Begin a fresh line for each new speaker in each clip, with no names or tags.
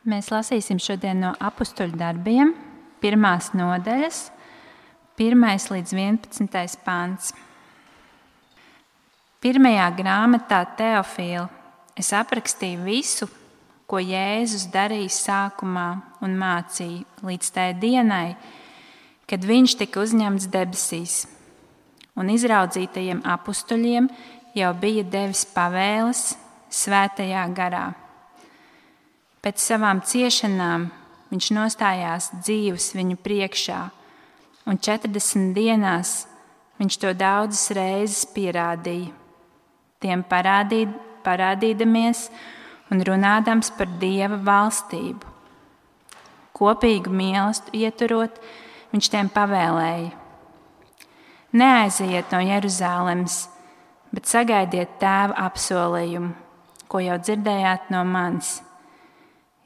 Mēs lasīsim šodien no Apustuļu darbiem, 1. nodaļas, 1. līdz 11. pants. Pirmajā grāmatā Teofīla es aprakstīju visu, ko Jēzus darīja sākumā un mācīja līdz tai dienai, kad viņš tika uzņemts debesīs, un izraudzītajiem apustuļiem jau bija devis pavēles svētajā garā. Pēc savām ciešanām viņš nostājās dzīvs viņu priekšā, un 40 dienās viņš to daudzas reizes pierādīja, tiem parādīdamies un runādams par Dieva valstību. Kopīgu mīlestību ieturot, viņš tiem pavēlēja: neaiziet no Jeruzālemes, bet sagaidiet Tēva apsolījumu, ko jau dzirdējāt no manis.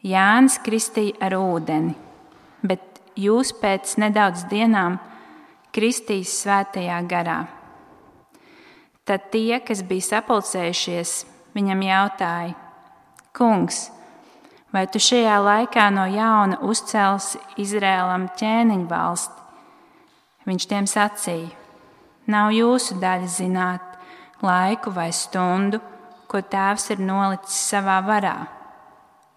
Jānis kristīja ar ūdeni, bet jūs pēc nedaudz dienām kristīs svētajā garā. Tad tie, kas bija sapulcējušies, viņam jautāja: Kungs, vai tu šajā laikā no jauna uzcelsi Izrēlam ķēniņu valsti? Viņš tiem sacīja: nav jūsu daļa zināt laiku vai stundu, ko Tēvs ir nolicis savā varā,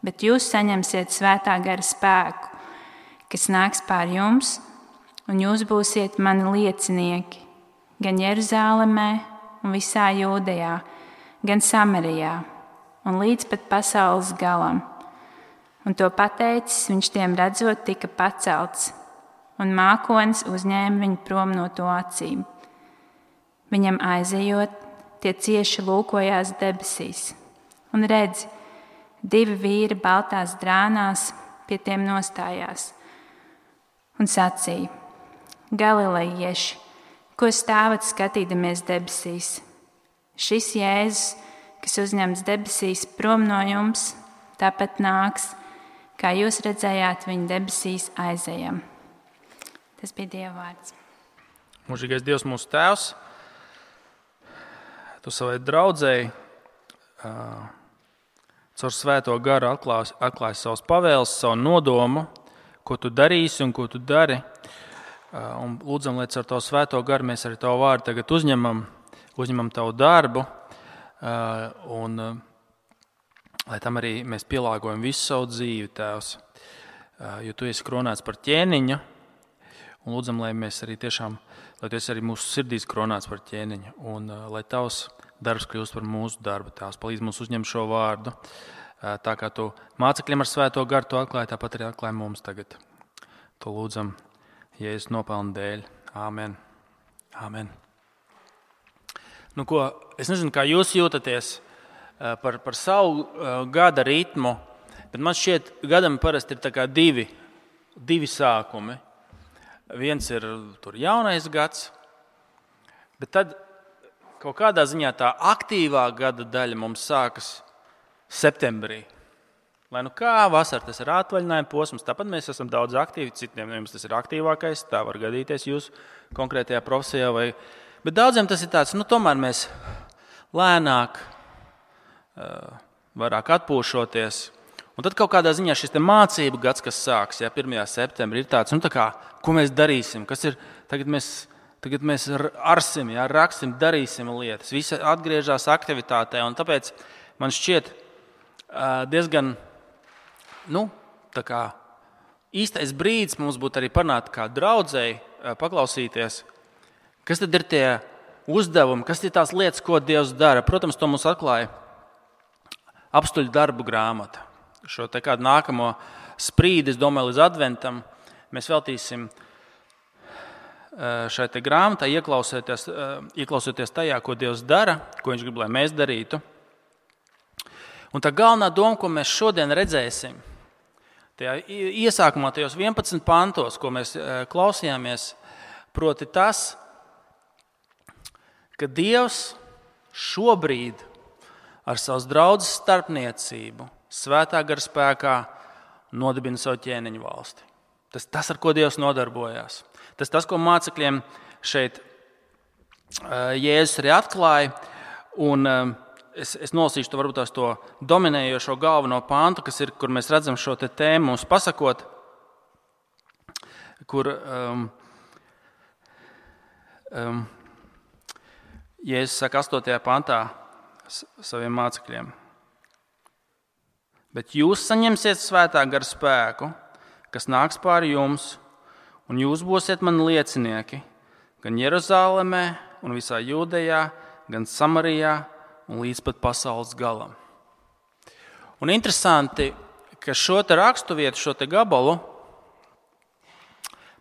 bet jūs saņemsiet svētā gara spēku, kas nāks pār jums, un jūs būsiet mani liecinieki gan Jeruzālemē un visā Jūdejā, gan Samarijā un līdz pat pasaules galam. Un to pateicis, viņš tiem redzot tika pacelts, un mākonis uzņēma viņu prom no to acīm. Viņam aizejot, tie cieši lūkojās debesīs, un redzi, 2 vīri baltās drānās pie tiem nostājās un sacīja: Galilejieši, ko stāvat skatīdamies debesīs? Šis Jēzus, kas uzņemts debesīs prom no jums, tāpat nāks, kā jūs redzējāt viņu debesīs aizejam. Tas bija Dieva vārds.
Mūžīgais Dievs, mūsu Tēvs, Tu savai draudzēji caur svēto garu atklāsi savas pavēles, savu nodomu, ko Tu darīsi un ko Tu dari. Un lūdzam, lai caur Tavu svēto garu mēs arī Tavu vārdu tagad uzņemam Tavu darbu, un lai tam arī mēs pielāgojam visu savu dzīvi, Tēvs, jo Tu esi kronēts par ķēniņu, un lūdzam, lai mēs arī tiešām, lai Tu esi arī mūsu sirdīs kronēts par ķēniņu, un lai Tavs darbs kļūst par mūsu darbu, Tēvs, palīdz mums uzņemt šo vārdu, tā kā Tu mācekļiem ar svēto garu to atklāji, tāpat arī atklāji mums tagad. To lūdzam Jēzus nopelna dēļ. Āmen. Āmen. Nu ko, es nezinu, kā jūs jūtaties par savu gada ritmu, bet man šķiet, gadam parasti ir tā kā divi sākumi. Viens ir tur jaunais gads, bet tad kaut kādā ziņā tā aktīvā gada daļa mums sākas septembrī. Lai nu kā, vasara tas ir atvaļinājuma posms, tāpat mēs esam daudz aktīvi, citiem jums tas ir aktīvākais, tā var gadīties jūsu konkrētajā profesijā, bet daudziem tas ir tāds, tomēr mēs lēnāk, vairāk atpūšoties. Un tad kaut kādā ziņā šis te mācību gads, kas sāks, 1. septembrī, ir tāds, ko mēs darīsim, kas ir, tagad mēs arsim, raksim, darīsim lietas, visi atgriežas aktivitātē, un tāpēc man šķiet diezgan, tā kā īstais brīdis mums būtu arī panākt kā draudzēji, paklausīties, kas tad ir tie uzdevumi, kas ir tās lietas, ko Dievs dara. Protams, to mums atklāja Apustuļu darbu grāmata. Šo te kādu nākamo sprīdi, es domāju, līdz adventam mēs veltīsim šai te grāmatai, ieklausoties tajā, ko Dievs dara, ko Viņš grib, lai mēs darītu. Un tā galvenā doma, ko mēs šodien redzēsim, tajā iesākumā, tajos 11 pantos, ko mēs klausījāmies, proti tas, ka Dievs šobrīd ar savas draudzes starpniecību, svētā gara spēkā nodibina savu ķēniņu valsti. Tas, ar ko Dievs nodarbojās. Tas, ko mācekļiem šeit Jēzus arī atklāja. Un es nolasīšu to varbūt to dominējošo galveno pantu, kas ir, kur mēs redzam šo tēmu mums pasakot, kur Jēzus saka 8. pantā saviem mācekļiem. Bet jūs saņemsiet svētā gara spēku, kas nāks pāri jums, un jūs būsiet mani liecinieki gan Jeruzalemē un visā Jūdejā, gan Samarijā un līdz pat pasaules galam. Un interesanti, ka šo te raksturvietu, šo te gabalu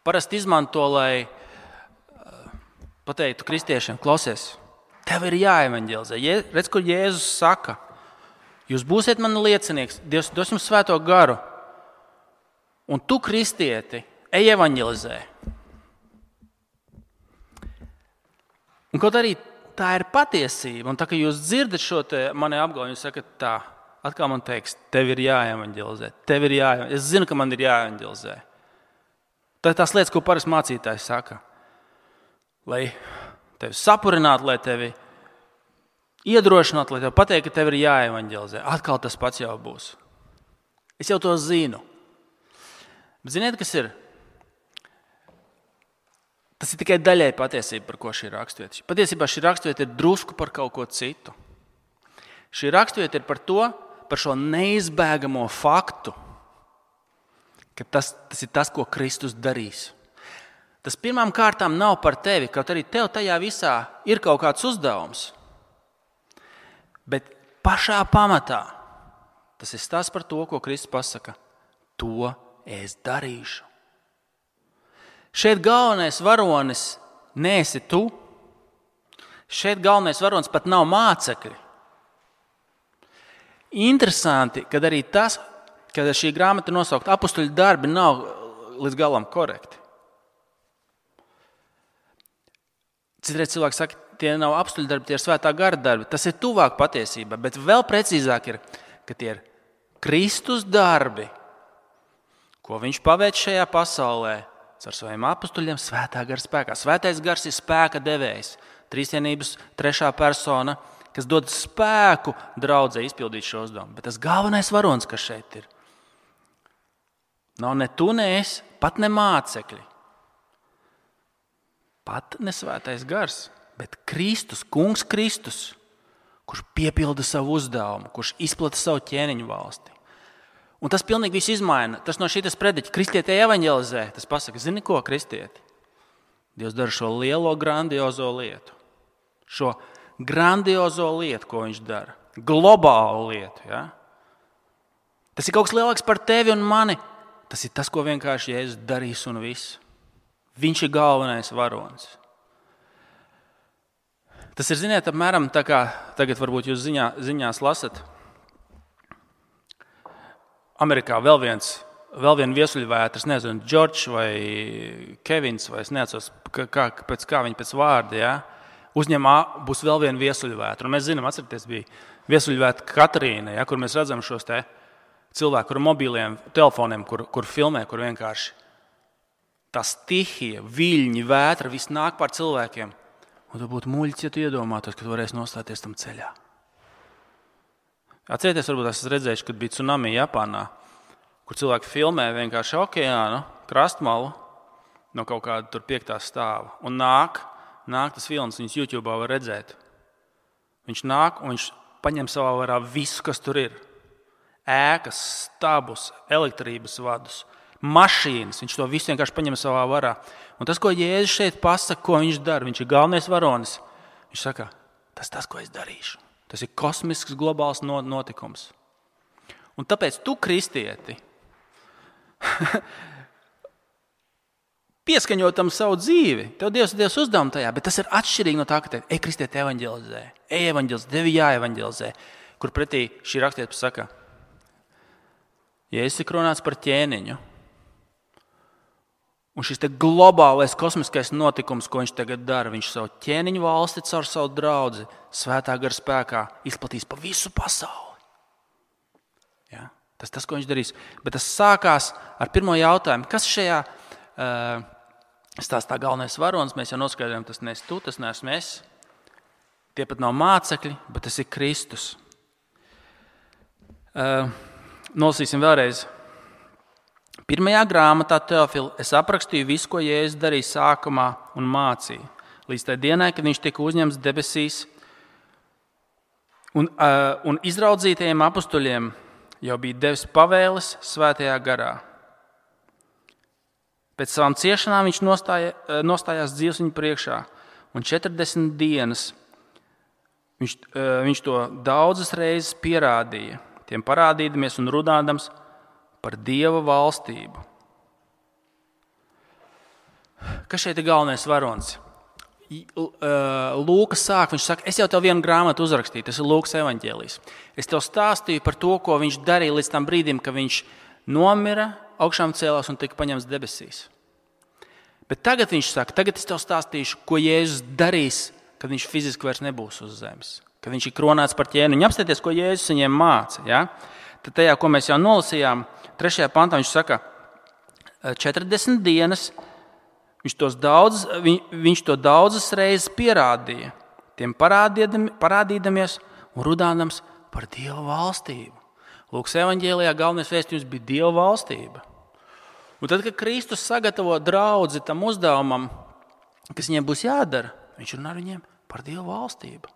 parasti izmanto, lai pateiktu kristiešiem, klausies, tev ir jāevaņģelizē. Redz, kur Jēzus saka, jūs būsiet mani liecinieks, Dievs dos jums svēto garu, un tu, kristieti, ej evaņģelizē. Un kaut arī tā ir patiesība, un tā, ka jūs dzirdat šo te mani apgalvojumu, jūs sakat tā, atkal man teiks, tev ir jāevaņģelizē, es zinu, ka man ir jāevaņģelizē. Tā ir tās lietas, ko parasti mācītājs saka. Lai tevi sapurinātu, lai tevi iedrošinātu, lai tev pateikt, ka tev ir jāevaņģelizē. Atkal tas pats jau būs. Es jau to zinu. Bet ziniet, kas ir? Tas ir tikai daļēji patiesība, par ko šī raksturvieta. Patiesībā šī raksturvieta ir drusku par kaut ko citu. Šī raksturvieta ir par šo neizbēgamo faktu, ka tas ir tas, ko Kristus darīs. Tas pirmām kārtām nav par tevi, kaut arī tev tajā visā ir kaut kāds uzdevums. Bet pašā pamatā tas ir stāsts par to, ko Kristus pasaka. To es darīšu. Šeit galvenais varonis neesi tu. Šeit galvenais varonis pat nav mācekļi. Interesanti, kad arī tas, kad šī grāmata nosaukt apustuļu darbi, nav līdz galam korekti. Citreiz cilvēki saka, tie nav apustuļu darbi, tie ir svētā gara darbi. Tas ir tuvāk patiesībai, bet vēl precīzāk ir, ka tie ir Kristus darbi, ko viņš paveic šajā pasaulē ar saviem apustuļiem svētā gara spēkā. Svētais gars ir spēka devējs, trīsvienības 3. persona, kas dod spēku draudzē izpildīt šo uzdevumu. Bet tas galvenais varonis, kas šeit ir, nav ne tu, ne es, pat ne mācekļi. Pat ne svētais gars, bet Kristus, kungs Kristus, kurš piepilda savu uzdevumu, kurš izplata savu ķēniņu valsti. Un tas pilnīgi viss izmaina. Tas no šītas prediķa kristieti evaņģelizē. Tas pasaka, zini ko, kristieti? Dievs dara šo lielo, grandiozo lietu. Šo grandiozo lietu, ko viņš dara. Globālu lietu. Ja? Tas ir kaut kas lielāks par tevi un mani. Tas ir tas, ko vienkārši Jēzus darīs un viss. Viņš ir galvenais varonis. Tas ir, ziniet, apmēram tā kā tagad varbūt jūs ziņās lasat. Amerikā vēl viena viesuļvētras, nezinu, Džordžs vai Kevins, vai es neatceros, pēc kā viņi pēc vārda, ja? Uzņemā būs vēl viena viesuļvētra. Un mēs zinām, atcerieties, bija viesuļvētra Katrīna, ja, kur mēs redzam šos te cilvēku ar mobiliem telefoniem, kur filmē, kur vienkārši tā stihija, viļņi, vētra, viss nāk pār cilvēkiem. Un tu būtu muļķis, ja tu iedomātos, ka tu varēsi nostāties tam ceļā. Atcerieties, varbūt esat redzējuši, kad bija tsunami Japānā, kur cilvēki filmē vienkārši okeānu, krastmalu no kaut kāda tur 5. stāva. Un nāk tas filmas, viņas YouTube var redzēt. Viņš nāk un viņš paņem savā varā visu, kas tur ir. Ēkas, stabus, elektrības vadus, mašīnas. Viņš to visu vienkārši paņem savā varā. Un tas, ko Jēzus šeit pasaka, ko viņš dara, viņš ir galvenais varonis. Viņš saka, tas, ko es darīšu. Tas ir kosmisks, globāls notikums. Un tāpēc tu, kristieti, pieskaņotam savu dzīvi. Tev Dievs uzdevuma tajā, bet tas ir atšķirīgi no tā, ka ej, kristieti, evaņģelizē. Ej, evaņģelizē, tevi jāevaņģelizē. Kur pretī šī rakstiet saka, Jēzus ir kronāts par ķēniņu. Un šis te globālais kosmiskais notikums, ko viņš tagad dara, viņš savu ķēniņu valsti caur savu draudzi svētā gara spēkā izplatīs pa visu pasauli. Ja? Tas, ko viņš darīs. Bet tas sākās ar pirmo jautājumu. Kas šajā stāstā galvenais varonis? Mēs jau noskaidrojam, tas neesi tu, tas neesmu es. Tie pat nav mācekļi, bet tas ir Kristus. Nolasīsim vēlreiz. 1. grāmatā Teofila es aprakstīju visu, ko Jēzus darīja sākumā un mācīja, līdz tai dienai, kad viņš tika uzņemts debesīs, un izraudzītajiem apustuļiem jau bija devis pavēles svētajā garā. Pēc savām ciešanām viņš nostājās dzīves viņu priekšā, un 40 dienas viņš to daudzas reizes pierādīja, tiem parādīdamies un runādams par Dieva valstību. Kas šeit ir galvenais varonis? Lūkas sāk, viņš saka, es jau tev vienu grāmatu uzrakstīju, tas ir Lūkas evaņģēlijs. Es tev stāstīju par to, ko viņš darīja līdz tam brīdim, kad viņš nomira, augšām cēlās un tika paņemts debesīs. Bet tagad viņš saka, tagad es tev stāstīšu, ko Jēzus darīs, kad viņš fiziski vairs nebūs uz zemes, kad viņš ir kronēts par ķēniņu. Apstāties, ko Jēzus viņiem māca. Ja? Tad tajā, ko mēs jau nolasījām, 3. pantā viņš saka, 40 dienas viņš to daudzas reizes pierādīja, tiem parādīdamies un runādams par Dieva valstību. Lūkas evaņģēlijā galvenais vēstījums bija Dieva valstība. Un tad, kad Kristus sagatavo draudzi tam uzdevumam, kas viņiem būs jādara, viņš runā ar viņiem par Dieva valstību.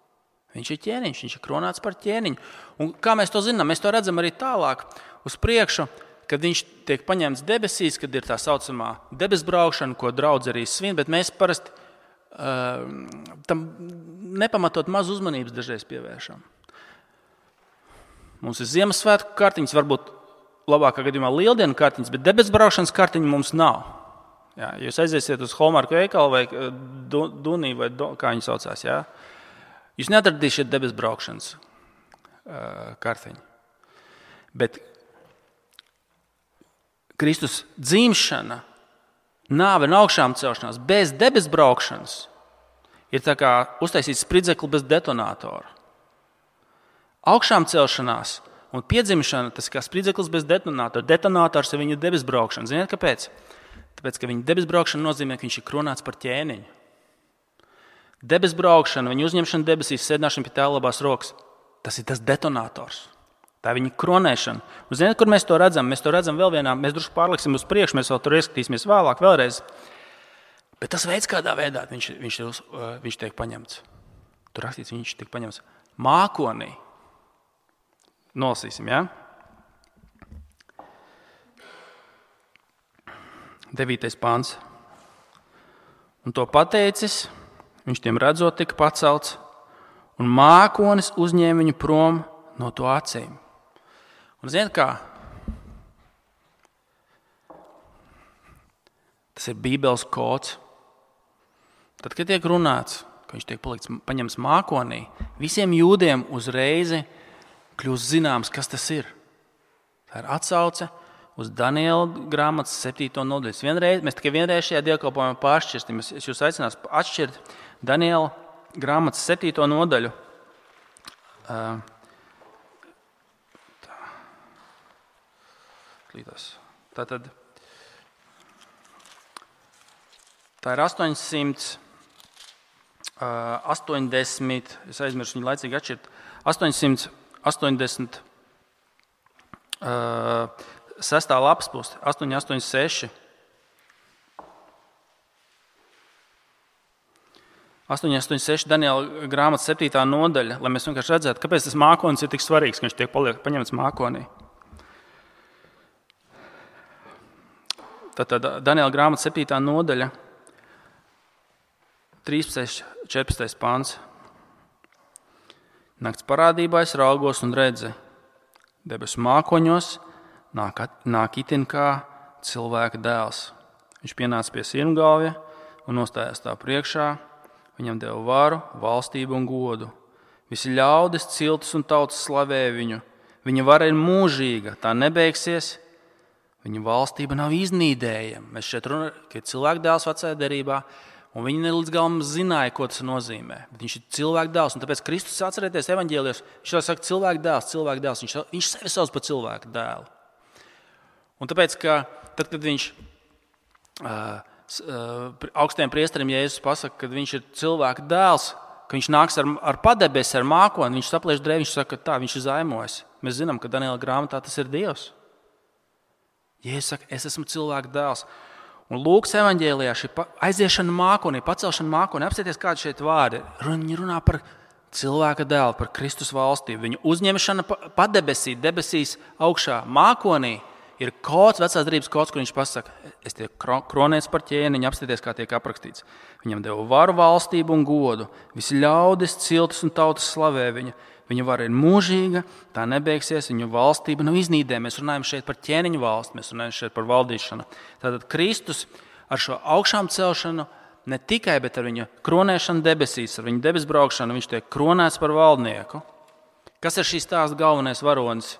Viņš ir ķēniņš, viņš ir kronēts par ķēniņu. Un kā mēs to zinām? Mēs to redzam arī tālāk uz priekšu, kad viņš tiek paņemts debesīs, kad ir tā saucamā debesbraukšana, ko draudz arī svin, bet mēs parasti tam nepamatot maz uzmanības dažreiz pievēršam. Mums ir Ziemassvētku kartiņas, varbūt labākā gadījumā lieldienu kartiņas, bet debesbraukšanas kartiņu mums nav. Jā, jūs aiziesiet uz Hallmark veikalu vai Dunī vai kā viņi saucās, jā? Jūs neatradīsiet debesbraukšanas kartiņu. Bet Kristus dzimšana, nāve un augšām celšanās bez debesbraukšanas ir tā kā uztaisīt spridzekli bez detonatora. Augšām celšanās un piedzimšana, tas kā spridzeklis bez detonatora. Detonators ir viņa debesbraukšana. Ziniet, kāpēc? Tāpēc, ka viņa debesbraukšana nozīmē, ka viņš ir kronēts par ķēniņu. Debesbraukšana, viņa uzņemšana debesīs, sēdināšana pie Tēva labās rokas, tas ir tas detonators. Tā ir viņa kronēšana. Un ziniet, kur mēs to redzam? Mēs to redzam vēl vienā, mēs drusku pārliksim uz priekšu, mēs vēl tur ieskatīsimies vēlāk, vēlreiz. Bet tas veids, kādā veidā viņš tiek paņemts. Tur rakstīts, viņš tiek paņemts mākonī. Nolasīsim, jā? 9. pāns. Un to pateicis, viņš tiem redzot tika pacelts, un mākonis uzņēma viņu prom no to acīm. Un ziniet kā? Tas ir Bībeles kods. Tad, kad tiek runāts, ka viņš tiek paņemts mākonī, visiem jūdiem uzreiz kļūst zināms, kas tas ir. Tā ir atsauce uz Daniela grāmatas 7. nodaļu. Mēs tikai vienreiz šajā dievkalpojumā pāršķirsim. Es jūs aicināšu atšķirt Daniela grāmatas 7. nodaļu. Tātad tā ir 880, es aizmirsu viņu laicīgi atšķirt, 886. lapas puse, 886. 886 Daniela grāmatas 7. nodaļa, lai mēs vienkārši redzētu, kāpēc tas mākonis ir tik svarīgs, ka viņš tiek paņemts mākonī. Tātad Daniela grāmatas 7. nodaļa, 13. 14. pāns. Nakts parādībā es raugos un redzu, debesu mākoņos nāk itin kā cilvēka dēls. Viņš pienāca pie sirmgalvja un nostājās tā priekšā. Viņam deva varu, valstību un godu. Visi ļaudis, ciltis un tautas slavē viņu. Viņa vara ir mūžīga, tā nebeigsies. Viņa valstība nav iznīdējama. Mēs šeit runājam, ka ir cilvēka dēls vecajā derībā, un viņi ne līdz galam zināja, ko tas nozīmē. Bet viņš ir cilvēka dēls, un tāpēc Kristus, atcerieties evaņģēlijos, viņš jau saka cilvēka dēls. Viņš sevi sauc par cilvēka dēlu. Un tāpēc, ka tad, kad viņš augstajiem priesterim Jēzus pasaka, ka viņš ir cilvēka dēls, ka viņš nāks ar padebesi, ar mākoni, viņš saplēš drēbi, viņš saka, tā, viņš ir zaimojis. Mēs zinām, ka Daniela grāmatā tas ir Dievs. Jēzus saka, es esmu cilvēka dēls. Un Lūkas evaņģēlijā šī aiziešana mākonī, pacelšana mākonī, apsieties kādi šeit vārdi. Viņi runā par cilvēka dēlu, par Kristus valstību. Viņu uzņemšana padebesī, debesīs augšā mākonī ir kods, vecās derības kods, kur viņš pasaka, es tiek kronēts par ķēniņu, apsieties, kā tiek aprakstīts. Viņam deva varu, valstību un godu. Visi ļaudis, ciltis un tautas slavē viņu. Viņa vara ir mūžīga, tā nebeigsies, viņu valstība nav iznīdē. Mēs runājam šeit par ķēniņu valsti, mēs runājam šeit par valdīšanu. Tātad Kristus ar šo augšām celšanu ne tikai, bet ar viņu kronēšanu debesīs, ar viņu debesbraukšanu, viņš tiek kronēts par valdnieku. Kas ir šīs stāsta galvenais varonis?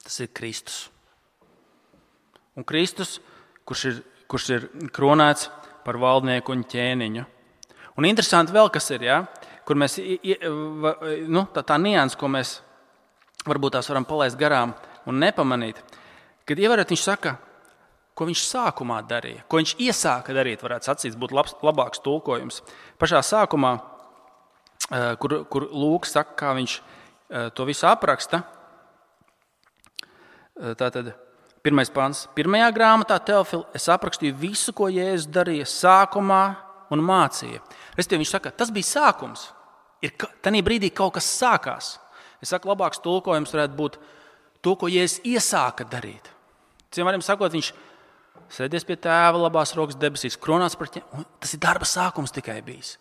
Tas ir Kristus. Un Kristus, kurš ir kronēts par valdnieku un ķēniņu. Un interesanti vēl, kas ir, ja? Kur mēs, tā nianses, ko mēs varbūt tās varam palaist garām un nepamanīt, kad ievērot, viņš saka, ko viņš sākumā darīja, ko viņš iesāka darīt, varētu sacīt, būtu labāks tulkojums. Pašā sākumā, kur Lūks saka, kā viņš to visu apraksta, tātad 1. pants. 1. grāmatā Teofil, es aprakstīju visu, ko Jēzus darīja sākumā un mācīja. Respektīvi, viņš saka, tas bija sākums. Tanī brīdī kaut kas sākās. Es saku, labāks tulkojums varētu būt to, ko Jēzus iesāka darīt. Citiem vārdiem sakot, viņš sēdies pie tēva labās rokas debesīs, kronāts par ķēniņu. Tas ir darba sākums tikai bijis.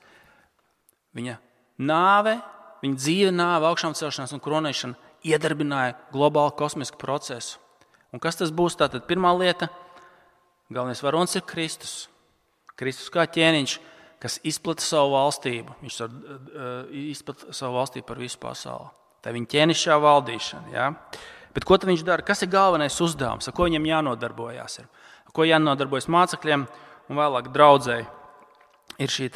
Viņa nāve, viņa dzīve nāve, augšām celšanās un kronēšana iedarbināja globālu kosmisku procesu. Un kas tas būs? Tātad pirmā lieta, galvenais varonis ir Kristus. Kristus kā ķēniņš, kas izplata savu valstību. Viņš izplata savu valstību par visu pasauli. Tā ir viņa ķēnišķā valdīšana. Ja? Bet ko tad viņš dara? Kas ir galvenais uzdevums? Ar ko viņam jānodarbojās? Ar ko jānodarbojas mācekļiem un vēlāk draudzēji? Ir šī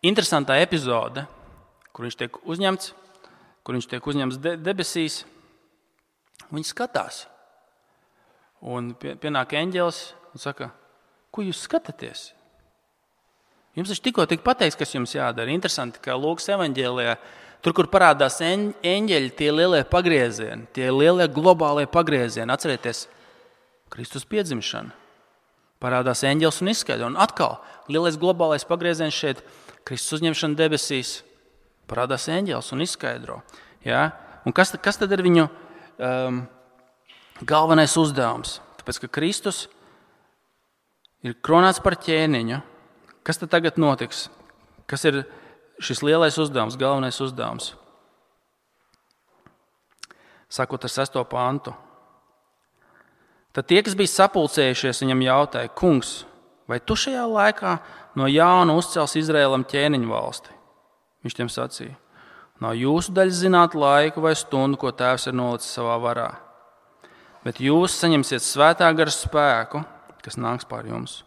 interesantā epizode, kur viņš tiek uzņemts debesīs. Viņi skatās. Un pienāk eņģelis un saka, ko jūs skatāties? Jums taču tikko pateikts, kas jums jādara. Interesanti, ka Lūkas evaņģēlijā, tur, kur parādās eņģeļi, tie lielie pagriezieni, tie lielie globālie pagriezieni. Atcerieties, Kristus piedzimšana. Parādās eņģelis un izskaidro. Un atkal, lielais globālais pagrieziens šeit, Kristus uzņemšana debesīs. Parādās eņģelis un izskaidro. Ja? Un kas tad ir viņu galvenais uzdevums? Tāpēc, ka Kristus ir kronēts par ķēniņu. Kas tad tagad notiks? Kas ir šis lielais uzdevums, galvenais uzdevums? Sākot ar 6. pantu. Tad tie, kas bija sapulcējušies, viņam jautāja, kungs, vai tu šajā laikā no jauna uzcels Izraēlam ķēniņu valsti? Viņš tiem sacīja, nav jūsu daļa zināt laiku vai stundu, ko Tēvs ir nolicis savā varā. Bet jūs saņemsiet svētā gara spēku, kas nāks pār jums.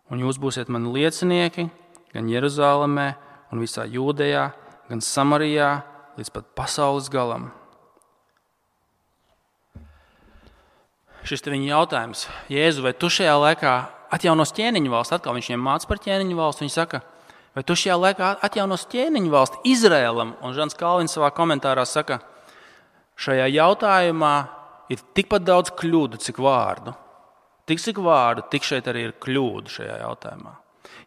Un jūs būsiet mani liecinieki gan Jeruzālēmē un visā Jūdejā, gan Samarijā, līdz pat pasaules galam. Šis te viņa jautājums, Jēzu, vai tu šajā laikā atjaunos ķēniņu valsti? Atkal viņš viņiem māca par ķēniņu valsti. Viņš saka, vai tu šajā laikā atjaunos ķēniņu valsti Izraēlam? Un Žans Kalvins savā komentārā saka, šajā jautājumā ir tikpat daudz kļūdu, cik vārdu. Cik vārdu, tik šeit arī ir kļūdu šajā jautājumā.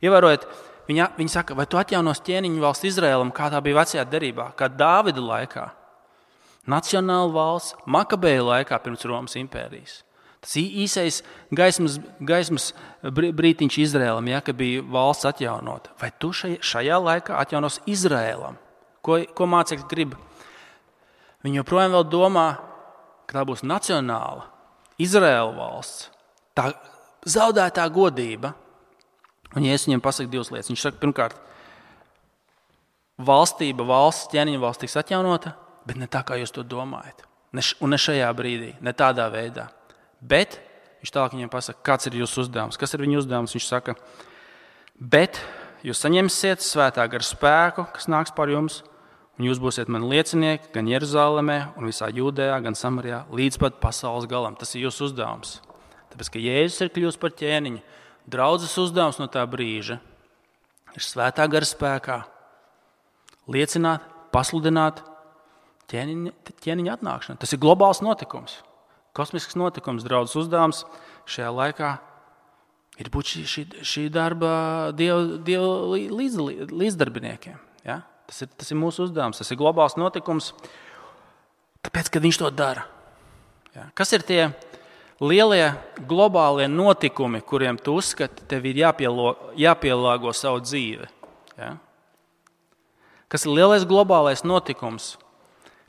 Ievērojiet, viņi saka, vai tu atjaunos ķēniņu valsti Izraēlam, kā tā bija vecajā derībā, kā Dāvida laikā, nacionāla valsts, Makabeju laikā pirms Romas impērijas. Tas īsais gaismas brītiņš Izraēlam, ja, ka bija valsts atjaunota. Vai tu šajā laikā atjaunos Izraēlam? Ko mācekļi grib? Viņi joprojām vēl domā, ka tā būs nacionāla Izraēla valsts. Tā zaudētā godība. Un ja es viņiem pasaku divas lietas. Viņš saka, pirmkārt, valsts, ķēniņa valsts tiks atjaunota, bet ne tā, kā jūs to domājat. Un ne šajā brīdī, ne tādā veidā. Bet, viņš tālāk viņiem pasaka, kāds ir jūsu uzdevums. Kas ir viņa uzdevums? Viņš saka, bet jūs saņemsiet svētā gara spēku, kas nāks pār jums, un jūs būsiet mani liecinieki gan Jeruzālēmē un visā Jūdejā, gan Samarijā, līdz pat pasaules galam. Tas ir jūsu uzdevums. Tāpēc, ka Jēzus ir kļuvis par ķēniņu, draudzes uzdevums no tā brīža ir svētā gara spēkā liecināt, pasludināt ķēniņa atnākšanu. Tas ir globāls notikums, kosmisks notikums. Draudzes uzdevums šajā laikā ir būt šī darba Dieva līdzdarbiniekiem. Ja? Tas ir mūsu uzdevums, tas ir globāls notikums, tāpēc, kad viņš to dara. Ja? Kas ir tie lielie globālie notikumi, kuriem tu uzskati, tev ir jāpielāgo savu dzīvi? Ja? Kas ir lielais globālais notikums,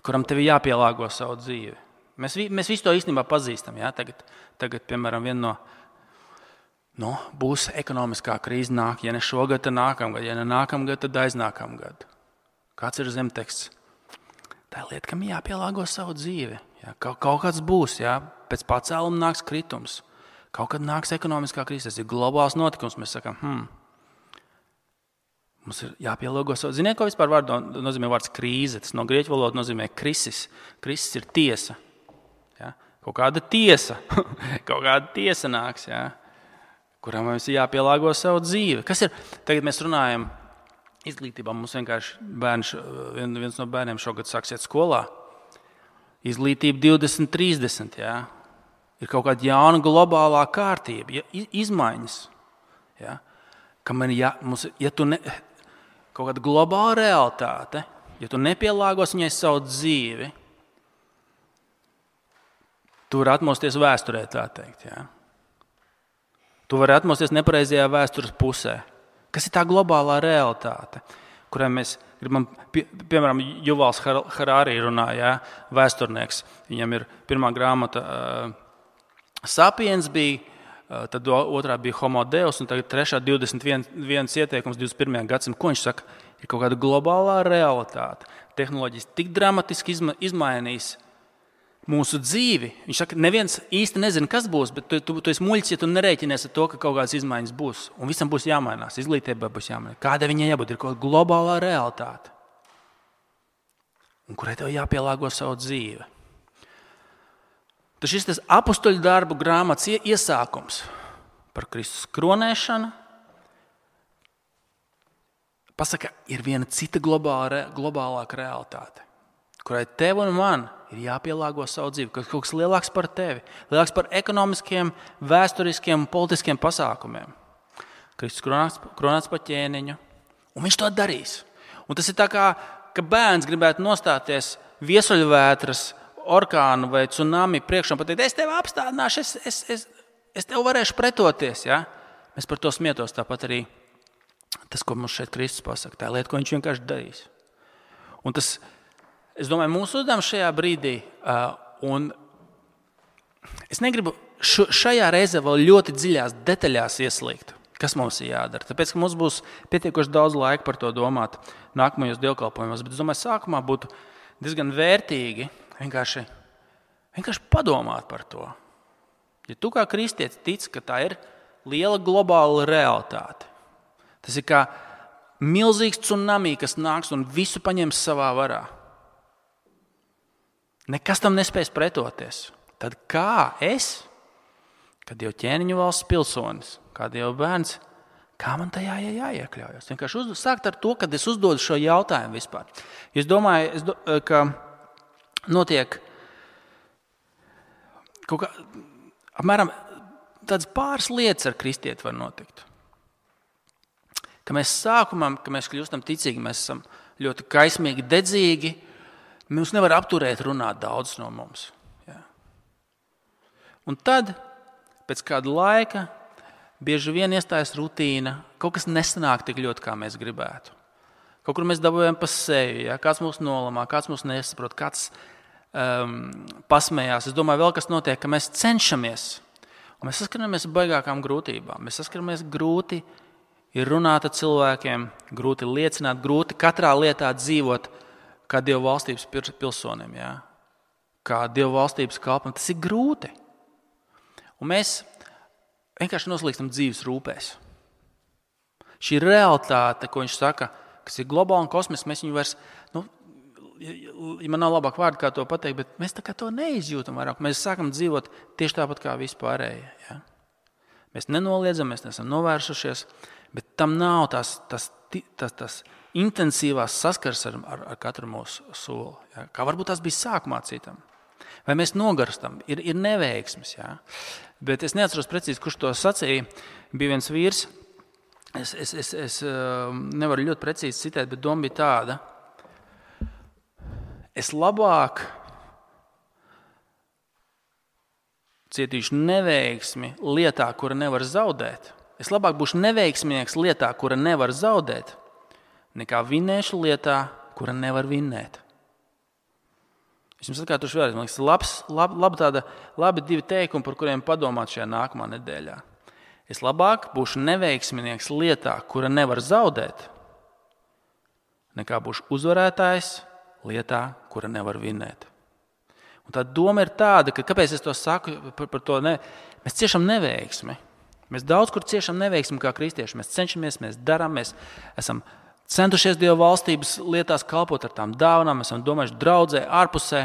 kuram tev ir jāpielāgo savu dzīvi? Mēs visu to īstenībā pazīstam. Ja? Tagad, piemēram, viena no būs ekonomiskā krīze nāk, ja ne šogad, tad nākamgad, ja ne nākamgad, tad aiznākamgad. Kāds ir zemteksts? Tā ir lieta, kam jāpielāgo savu dzīvi. Ja? Kaut kāds būs, ja? Pēc pacēluma nāks kritums. Kaut kad nāks ekonomiskā krīze. Tas ir globāls notikums. Mēs sakām, mums ir jāpielāgo savu. Ziniet, ko vispār nozīmē vārds krīze? Tas no grieķu valodas nozīmē krisis. Krisis ir tiesa. Ja? Kaut kāda tiesa. Kaut kāda tiesa nāks, ja? Kuram mums ir jāpielāgo savu dzīvi. Kas ir? Tagad mēs runājam izglītībā. Mums vienkārši viens no bērniem šogad sāks iet skolā. Izglītība 2030. Ja? Ir kaut kāda jauna globālā kārtība, izmaiņas. Ja? Kaut kāda globāla realitāte, ja tu nepielāgos viņai savu dzīvi, tu vari atmosties vēsturē, tā teikt. Ja? Tu vari atmosties nepareizajā vēstures pusē. Kas ir tā globālā realitāte, kurai mēs gribam, piemēram, Juvals Harari runā, ja, vēsturnieks. Viņam ir pirmā grāmata Sapiens bija, tad otrā bija Homo Deus, un tagad trešā 21 ieteikums 21. gadsimtam. Ko viņš saka? Ir kaut kāda globālā realitāte. Tehnoloģijas tik dramatiski izmainīs mūsu dzīvi. Viņš saka, neviens īsti nezina, kas būs, bet tu esi muļķis, ja tu nerēķinies ar to, ka kaut kādas izmaiņas būs. Un visam būs jāmainās, izglītībai būs jāmainās. Kāda viņai jābūt? Ir kaut kāda globālā realitāte, un kurai tev jāpielāgo savu dzīvi. Tas šis apustuļu darbu grāmatas iesākums par Kristus kronēšanu pasaka, ir viena cita globālāka realitāte, kurai tev un man ir jāpielāgo savu dzīvi, kaut kas lielāks par tevi, lielāks par ekonomiskiem, vēsturiskiem un politiskiem pasākumiem. Kristus kronāts par ķēniņu, un viņš to darīs. Un tas ir tā kā, ka bērns gribētu nostāties viesuļvētras, orkānu vai tsunami priekšā un pateikt, es tevi apstādināšu, es tev varēšu pretoties. Ja? Mēs par to smietos, tāpat arī tas, ko mums šeit Kristus pasaka, tā lieta, ko viņš vienkārši darīs. Un tas, es domāju, mūsu uzdevums šajā brīdī, un es negribu šajā reizē vēl ļoti dziļās detaļās ieslīgt, kas mums ir jādara. Tāpēc, ka mums būs pietiekoši daudz laika par to domāt nākamajos dievkalpojumos, bet es domāju, sākumā būtu diezgan vērtīgi vienkārši padomāt par to. Ja tu kā kristietis tici, ka tā ir liela globāla realitāte, tas ir kā milzīgs tsunami, kas nāks un visu paņems savā varā. Nekas tam nespēs pretoties. Tad kā es, kad Dieva ķēniņu valsts pilsonis, kā Dieva bērns, kā man tajā jāiekļaujas? Vienkārši sākt ar to, kad es uzdodu šo jautājumu vispār. Es domāju, ka notiek kaut kā, apmēram tādas pāris lietas ar kristieti var notikt. Ka mēs sākumā, ka mēs kļūstam ticīgi, mēs esam ļoti kaismīgi, dedzīgi, mums nevar apturēt runāt daudz no mums. Ja. Un tad, pēc kāda laika, bieži vien iestājas rutīna, kaut kas nesanāk tik ļoti, kā mēs gribētu. Kaut kur mēs dabūjam pa sevi, ja? Kāds mūs nolamā, kāds mūs nesaprot, kāds pasmējās. Es domāju, vēl kas notiek, ka mēs cenšamies, un mēs saskaramies ar baigākām grūtībām. Mēs saskaramies grūti ir runāt ar cilvēkiem, grūti liecināt, grūti katrā lietā dzīvot kā Dieva valstības pilsonim, ja? Kā Dieva valstības kalpam. Tas ir grūti. Un mēs vienkārši noslīkstam dzīves rūpēs. Šī realitāte, ko viņš saka, kas ir globāla un kosmiska, mēs viņu vairs, man nav labāk vārdi, kā to pateikt, bet mēs tā kā to neizjūtam vairāk. Mēs sākam dzīvot tieši tāpat kā vispārējie. Ja? Mēs nenoliedzam, mēs neesam novērsušies, bet tam nav tas intensīvās saskars ar katru mūsu soli. Ja? Kā varbūt tas bija sākumā citam. Vai mēs nogarstam, ir neveiksmes. Ja? Bet es neatceros precīzi, kurš to sacīja. Bija viens vīrs, es nevaru ļoti precīzi citēt, bet doma bija tāda. Es labāk cietīšu neveiksmi lietā, kura nevar zaudēt. Es labāk būšu neveiksminieks lietā, kura nevar zaudēt, nekā vinēšu lietā, kura nevar vinnēt. Es jums atkārtošu vēlreiz. Man liekas, labi divi teikumi, par kuriem padomāt šajā nākamā nedēļā. Es labāk būšu neveiksminieks lietā, kura nevar zaudēt, nekā būšu uzvarētājs lietā, kura nevar vinnēt. Un tā doma ir tāda, ka kāpēc es to saku par to, mēs ciešam neveiksmi. Mēs daudz kur ciešam neveiksmi kā kristieši. Mēs cenšamies, mēs darām, mēs esam centušies Dieva valstības lietās kalpot ar tām dāvanām, mēs esam domājuši draudzē, ārpusē.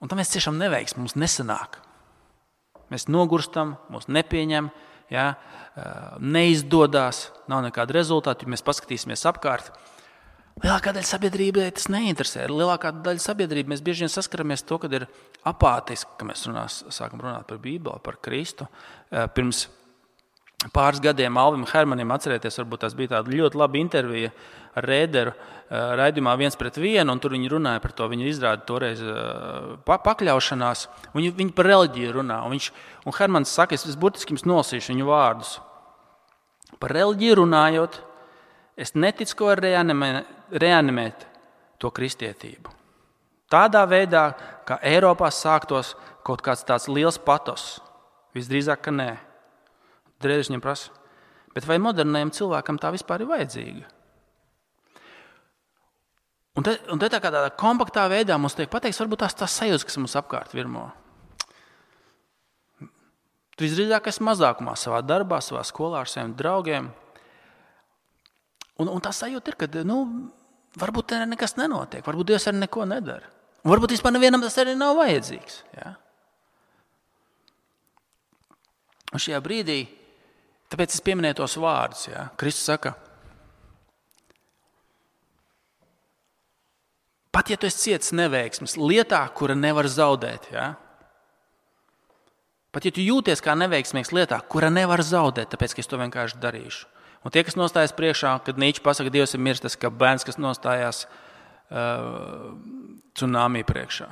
Un tam mēs ciešam neveiksmi, mums nesanāk. Mēs nogurstam, mūs nepieņem, ja, neizdodas, nav nekāda rezultāta, ja mēs paskatīsimies apkārt. Lielākā daļa sabiedrībai tas neinteresē. Lielākā daļa sabiedrība mēs bieži vien saskaramies to, kad ir apātiski, ka mēs sākam runāt par Bībeli, par Kristu. Pirms pāris gadiem Alvim Hermanim, atcerieties, varbūt tas bija tāda ļoti laba intervija ar Rēderu raidījumā 1:1, un tur viņi runāja par to, viņi izrāda toreiz pakļaušanās, viņi par reliģiju runā, un Hermans saka, es burtiski jums nolasīšu viņu vārdus. Par reliģiju runājot, es neticu, ko var reanimēt to kristietību. Tādā veidā, kā Eiropā sāktos kaut kāds tāds liels patos, visdrīzāk, ka nē. Drēdis viņam prasa, bet vai modernajam cilvēkam tā vispār ir vajadzīga? Un te tā kā tādā kompaktā veidā mums tiek pateikts, varbūt tās sajūtas, kas mums apkārt virmo. Tu visdrīzāk esi mazākumā savā darbā, savā skolā ar saviem draugiem. Un tā sajūta ir, ka varbūt te nekas nenotiek, varbūt Dievs arī neko nedara. Un varbūt vispār nevienam tas arī nav vajadzīgs. Ja? Un šajā brīdī, tāpēc es pieminēju tos vārdus. Ja? Kristus saka, pat ja tu esi cietis neveiksmes lietā, kura nevar zaudēt, ja? Pat ja tu jūties kā neveiksmīgs lietā, kura nevar zaudēt, tāpēc, ka es to vienkārši darīšu. Un tie, kas nostājas priekšā, kad Nīčs pasaka, Dievs ir miris, tas kā bērns, kas nostājās tsunami priekšā.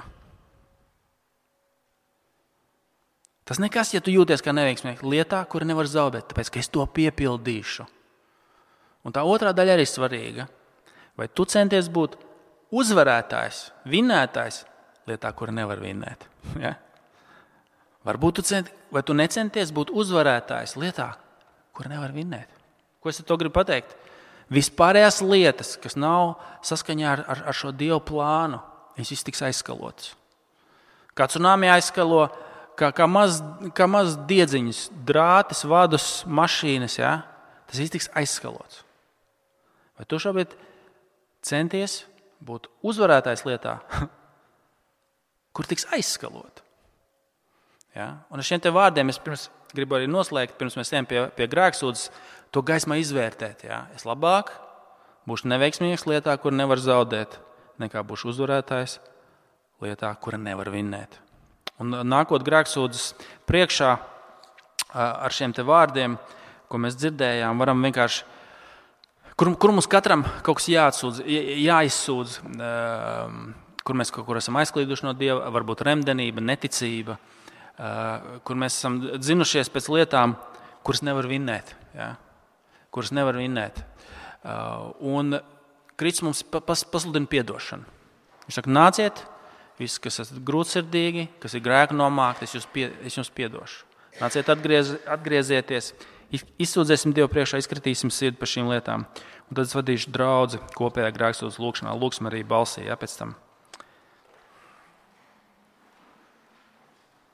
Tas nekas, ja tu jūties kā neveiksmīgs lietā, kura nevar zaudēt, tāpēc, ka es to piepildīšu. Un tā otrā daļa arī svarīga. Vai tu centies būt uzvarētājs, vinnētājs lietā, kura nevar vinnēt? Ja? Varbūt vai tu necenties būt uzvarētājs lietā, kura nevar vinnēt? Ko es ar to gribu pateikt? Vispārējās lietas, kas nav saskaņā ar šo Dievu plānu, viņas viss tiks aizskalotas. Kā tsunami aizskalo, kā maz diedziņas, drātis, vadus, mašīnas, ja? Tas viss tiks aizskalots. Vai tu šobrīd centies būt uzvarētājs lietā, kur tiks aizskalot? Ja? Un ar šiem te vārdiem es gribu arī noslēgt, pirms mēs ejam pie grēksūdzes, to gaismā izvērtēt. Ja? Es labāk būšu neveiksmīgs lietā, kur nevar zaudēt, nekā būšu uzvarētājs lietā, kura nevar vinnēt. Un nākot grēksūdzes priekšā ar šiem te vārdiem, ko mēs dzirdējām, varam vienkārši, kur mums katram kaut kas jāizsūdz, kur mēs kaut kur esam aizklīduši no Dieva, varbūt remdenība, neticība, kur mēs esam dzinušies pēc lietām, kuras nevar vinnēt. Ja? Kuras nevar vinnēt. Un Kristus mums pasludina piedošanu. Viņš saka, nāciet, visi, kas esat grūtsirdīgi, kas ir grēku nomākti, es jums piedošu. Nāciet, atgriezieties, izsūdzēsim Dievu priekšā, izkritīsim sirdi par šīm lietām. Un tad es vadīšu draudzi kopējā grēksūdzes lūkšanā, lūksim arī balsī, ja, pēc tam.